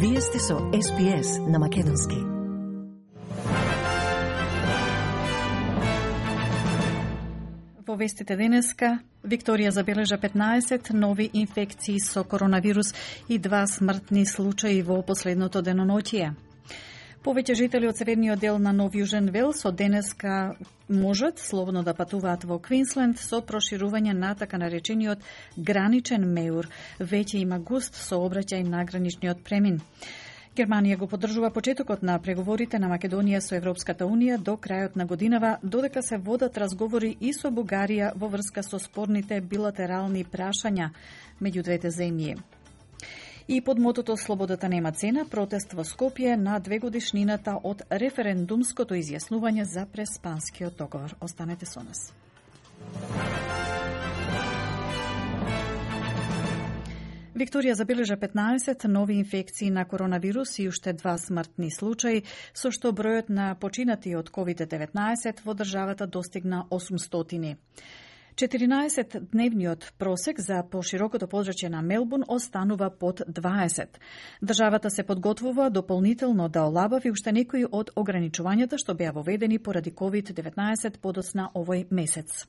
Вие сте со SPS на Македонски. Во вестите денеска, Викторија забележа 15 нови инфекции со коронавирус и 2 смртни случаи во последното деноноќие. Повеќе жители од северниот дел на Нов Јужен Велс од денеска можат слободно да патуваат во Квинсленд со проширување на така наречениот граничен меур. Веќе има густ сообраќај на граничниот премин. Германија го поддржува почетокот на преговорите на Македонија со Европската Унија до крајот на годинава, додека се водат разговори и со Бугарија во врска со спорните билатерални прашања меѓу двете земји. И под мотото "Слободата нема цена", протест во Скопје на 2-годишнината од референдумското изјаснување за преспанскиот договор. Останете со нас. Викторија забележа 15 нови инфекции на коронавирус и уште 2 смртни случаи, со што бројот на починати од COVID-19 во државата достигна 800. 14-дневниот просек за поширокото подрачје на Мелбурн останува под 20. Државата се подготвува дополнително да олабави уште некои од ограничувањата што беа воведени поради COVID-19 подоцна овој месец.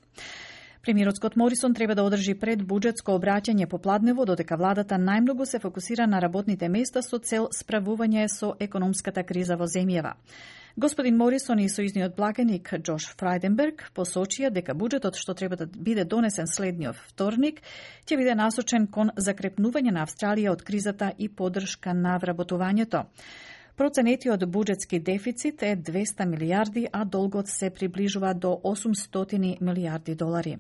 Премиерот Скот Морисон треба да одржи пред буџетско обраќање попладнево, додека владата најмногу се фокусира на работните места со цел справување со економската криза во земјава. Господин Морисон и сојузниот благеник Джош Фрајденберг посочија дека буџетот што треба да биде донесен следниот вторник ќе биде насочен кон закрепнување на Австралија од кризата и поддршка на вработувањето. Проценетиот буџетски дефицит е 200 милијарди, а долгот се приближува до 800 милијарди долари.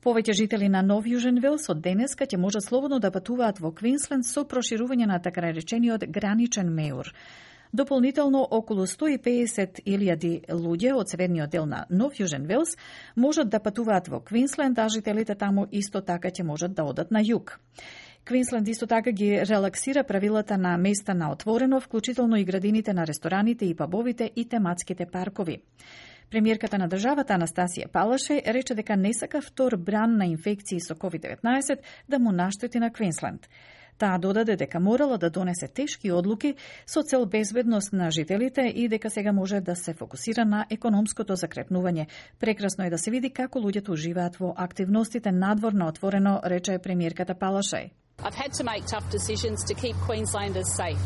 Повеќе жители на Нов Јужен Велс од денеска ќе можат слободно да патуваат во Квинсленд со проширување на така наречениот граничен меур. Дополнително, околу 150.000 луѓе од северниот дел на Нов Јужен Велс можат да патуваат во Квинсленд, а жителите таму исто така ќе можат да одат на југ. Квинсленд исто така ги релаксира правилата на места на отворено, вклучително и градините на рестораните и пабовите и тематските паркови. Премиерката на државата Анастасија Палашеј рече дека не сака втор бран на инфекции со COVID-19 да му наштети на Квинсленд. Таа додаде дека морала да донесе тешки одлуки со цел безбедност на жителите и дека сега може да се фокусира на економското закрепнување. Прекрасно е да се види како луѓето уживаат во активностите надвор на отворено, рече премиерката Палашеј. I've had to make tough decisions to keep Queenslanders safe.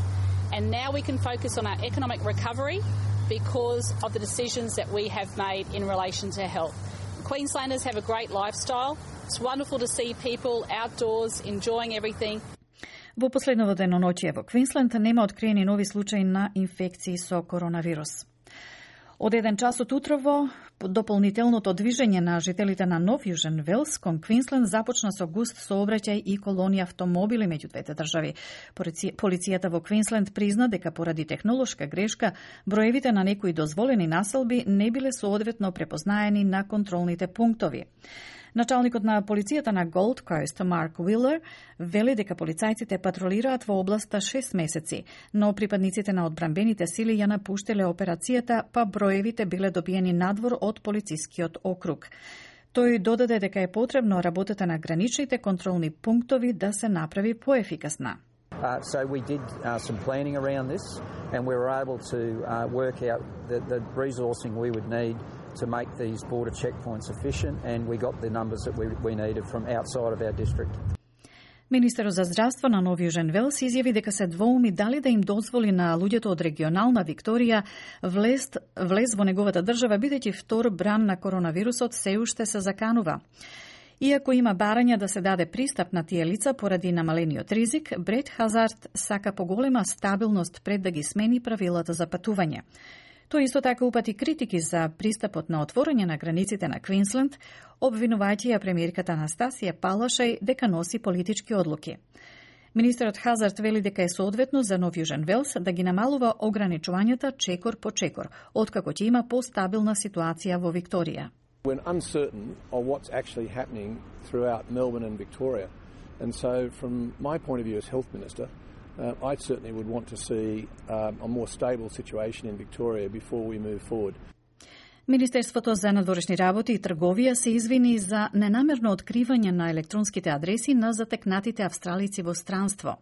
And now we can focus on our economic recovery because of the decisions that we have made in relation to health. Queenslanders have a great lifestyle. It's wonderful to see people outdoors enjoying everything. Во последното деноноќие во Квинсленд нема откриени нови случаи на инфекции со коронавирус. Од 1 час од утрово, дополнителното движење на жителите на Нов Јужен Велс кон Квинсленд започна со густ сообраќај и колонија автомобили меѓу двете држави. Полицијата во Квинсленд призна дека поради технолошка грешка, броевите на некои дозволени населби не биле соодветно препознаени на контролните пунктови. Началникот на полицијата на Голд Кост, Марк Уилер, вели дека полицајците патролираат во областа 6 месеци, но припадниците на одбранбените сили ја напуштиле операцијата, па броевите биле добиени надвор од полицискиот округ. Тој додаде дека е потребно работата на граничните контролни пунктови да се направи поефикасна. So we did some planning around this and we were able to work out the resourcing we would need to make these border checkpoints efficient and we got the numbers that we needed from outside of our district. Министерот за здравство на Нов Јужен Велс изјави дека се двоуми дали да им дозволи на луѓето од регионална Викторија влез во неговата држава, бидејќи втор бран на коронавирусот се уште се заканува. Иако има барања да се даде пристап на тие лица поради намалениот ризик, Брет Хазард сака поголема стабилност пред да ги смени правилата за патување. Тој исто така упати критики за пристапот на отворање на границите на Квинсленд, обвинувајќи ја премиерката Анастасија Палашеј дека носи политички одлуки. Министерот Хазард вели дека е соодветно за Нов Јужен Велс да ги намалува ограничувањата чекор по чекор, откако ќе има постабилна ситуација во Викторија. We're uncertain of what's actually happening throughout Melbourne and Victoria. And so from my point of view as Health Minister, I certainly would want to see a more stable situation in Victoria before we move forward. Министерството за надворешни работи и трговија се извини за ненамерно откривање на електронските адреси на затекнатите австралици во странство.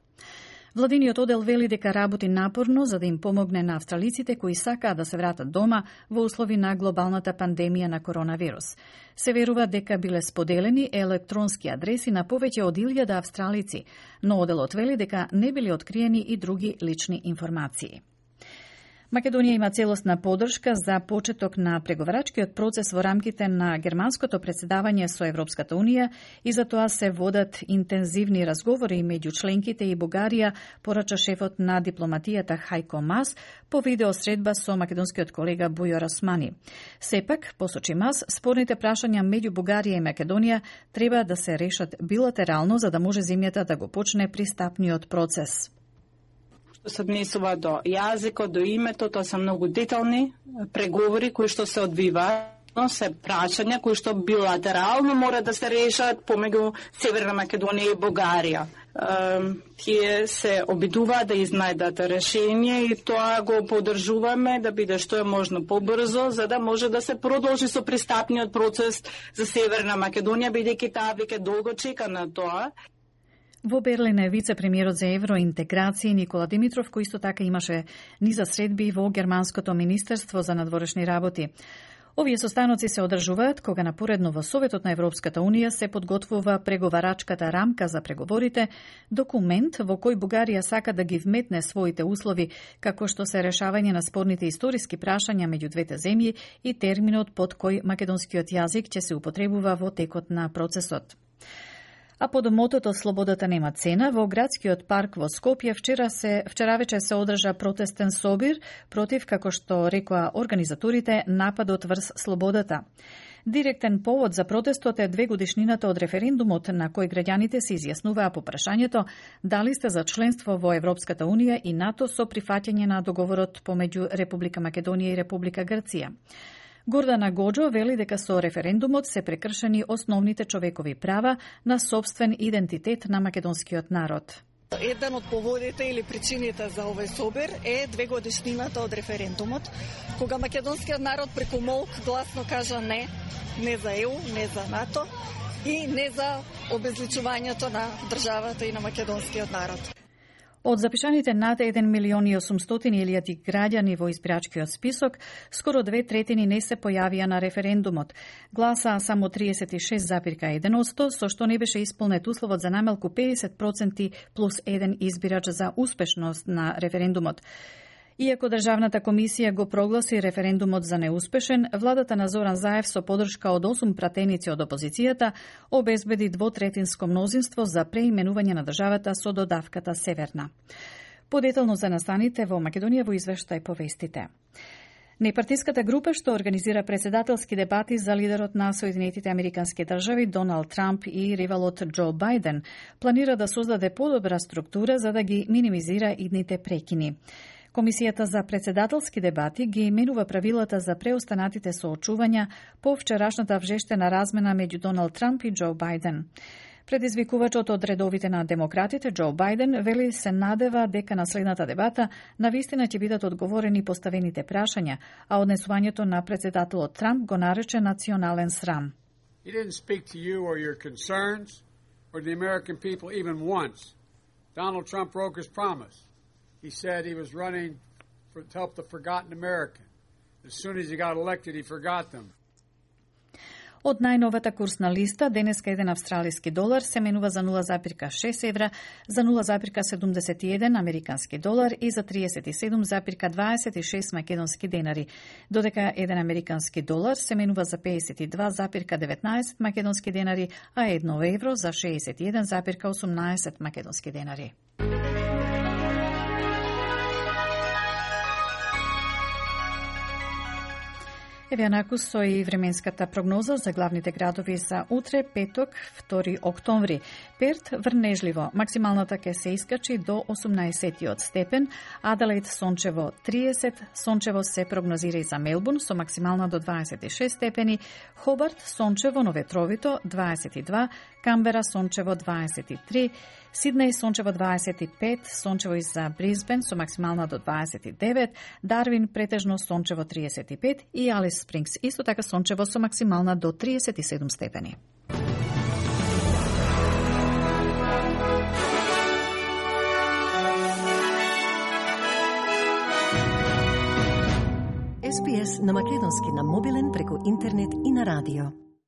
Владиниот оддел вели дека работи напорно за да им помогне на австралиците кои сакаат да се вратат дома во услови на глобалната пандемија на коронавирус. Се верува дека биле споделени електронски адреси на повеќе од 1000 австралици, но одделот вели дека не биле откриени и други лични информации. Македонија има целосна подршка за почеток на преговарачкиот процес во рамките на германското претседавање со Европската Унија и за тоа се водат интензивни разговори меѓу членките и Бугарија, порача шефот на дипломатијата Хајко Мас по видеосредба со македонскиот колега Бујо Расмани. Сепак, посочи Мас, спорните прашања меѓу Бугарија и Македонија треба да се решат билатерално за да може земјата да го почне пристапниот процес. Се однесува до јазикот, до името, тоа се многу детални преговори кои што се одвиваат, се прашања кои што билатерално мора да се решат помеѓу Северна Македонија и Бугарија. Тие се обидуваат да изнајдат решение и тоа го поддржуваме да биде што е можно побрзо, за да може да се продолжи со пристапниот процес за Северна Македонија, бидејќи таа веќе долго чека на тоа. Во Берлин е вице-премиерот за евроинтеграција Никола Димитров, кој исто така имаше низа средби во Германското министерство за надворешни работи. Овие состаноци се одржуваат кога напоредно во Советот на Европската Унија се подготвува преговарачката рамка за преговорите, документ во кој Бугарија сака да ги вметне своите услови, како што се решавање на спорните историски прашања меѓу двете земји и терминот под кој македонскиот јазик ќе се употребува во текот на процесот. А под мотото "Слободата нема цена", во градскиот парк во Скопје вчера вечер се одржа протестен собир против, како што рекоа организаторите, нападот врз слободата. Директен повод за протестот е 2 годишнината од референдумот на кој граѓаните се изјаснуваа по прашањето дали сте за членство во Европската Унија и НАТО со прифаќање на договорот помеѓу Република Македонија и Република Грција. Гордана Гоџо вели дека со референдумот се прекршени основните човекови права на сопствен идентитет на македонскиот народ. Еден од поводите или причините за овој собир е 2 годишнината од референдумот, кога македонскиот народ преку молк гласно кажа не за ЕУ, не за НАТО и не за обезличувањето на државата и на македонскиот народ. Од запишаните над 1.800.000 граѓани во избирачкиот список, скоро 2/3 не се појавија на референдумот. Гласаа само 36,1%, со што не беше исполнет условот за намалку 50% плюс 1 избирач за успешност на референдумот. Иако Државната комисија го прогласи референдумот за неуспешен, владата на Зоран Заев со поддршка од 8 пратеници од опозицијата обезбеди 2/3 мнозинство за преименување на државата со додавката Северна. Подетално за настаните во Македонија во извештај по вестите. Непартиската група што организира председателски дебати за лидерот на Соединетите Американски држави Доналд Трамп и ривалот Џо Бајден планира да создаде подобра структура за да ги минимизира идните прекини. Комисијата за председателски дебати ги именува правилата за преостанатите соочувања по вчерашната вжештена размена меѓу Доналд Трамп и Џо Бајден. Предизвикувачот од редовите на демократите Џо Бајден вели се надева дека на следната дебата навистина ќе бидат одговорени поставените прашања, а однесувањето на председателот Трамп го нарече национален срам. He didn't speak to you or your concerns or the American people even once. Donald Trump broke his promise. He said he was running to help the forgotten American. As soon as he got elected, he forgot them. Од најновата курсна листа, денеска еден австралиски долар се менува за 0,6 евра, за 0,71 американски долар и за 37,26 македонски денари, додека еден американски долар се менува за 52,19 македонски денари, а 1 евро за 61,18 македонски денари. Еве анаку со и временската прогноза за главните градови за утре, петок, 2 октомври. Перт врнежливо, максималната ќе се искачи до 18 степен, Аделаид сончево 30, сончево се прогнозира и за Мелбурн со максимална до 26 степени, Хобарт сончево, но ветровито 22, Камбера сончево 23, Сиднеј сончево 25, сончево и за Брисбен со максимална до 29, Дарвин претежно сончево 35 и Алис Спрингс исто така сончево со максимална до 37 степени. SPS на македонски на мобилен преку интернет и на радио.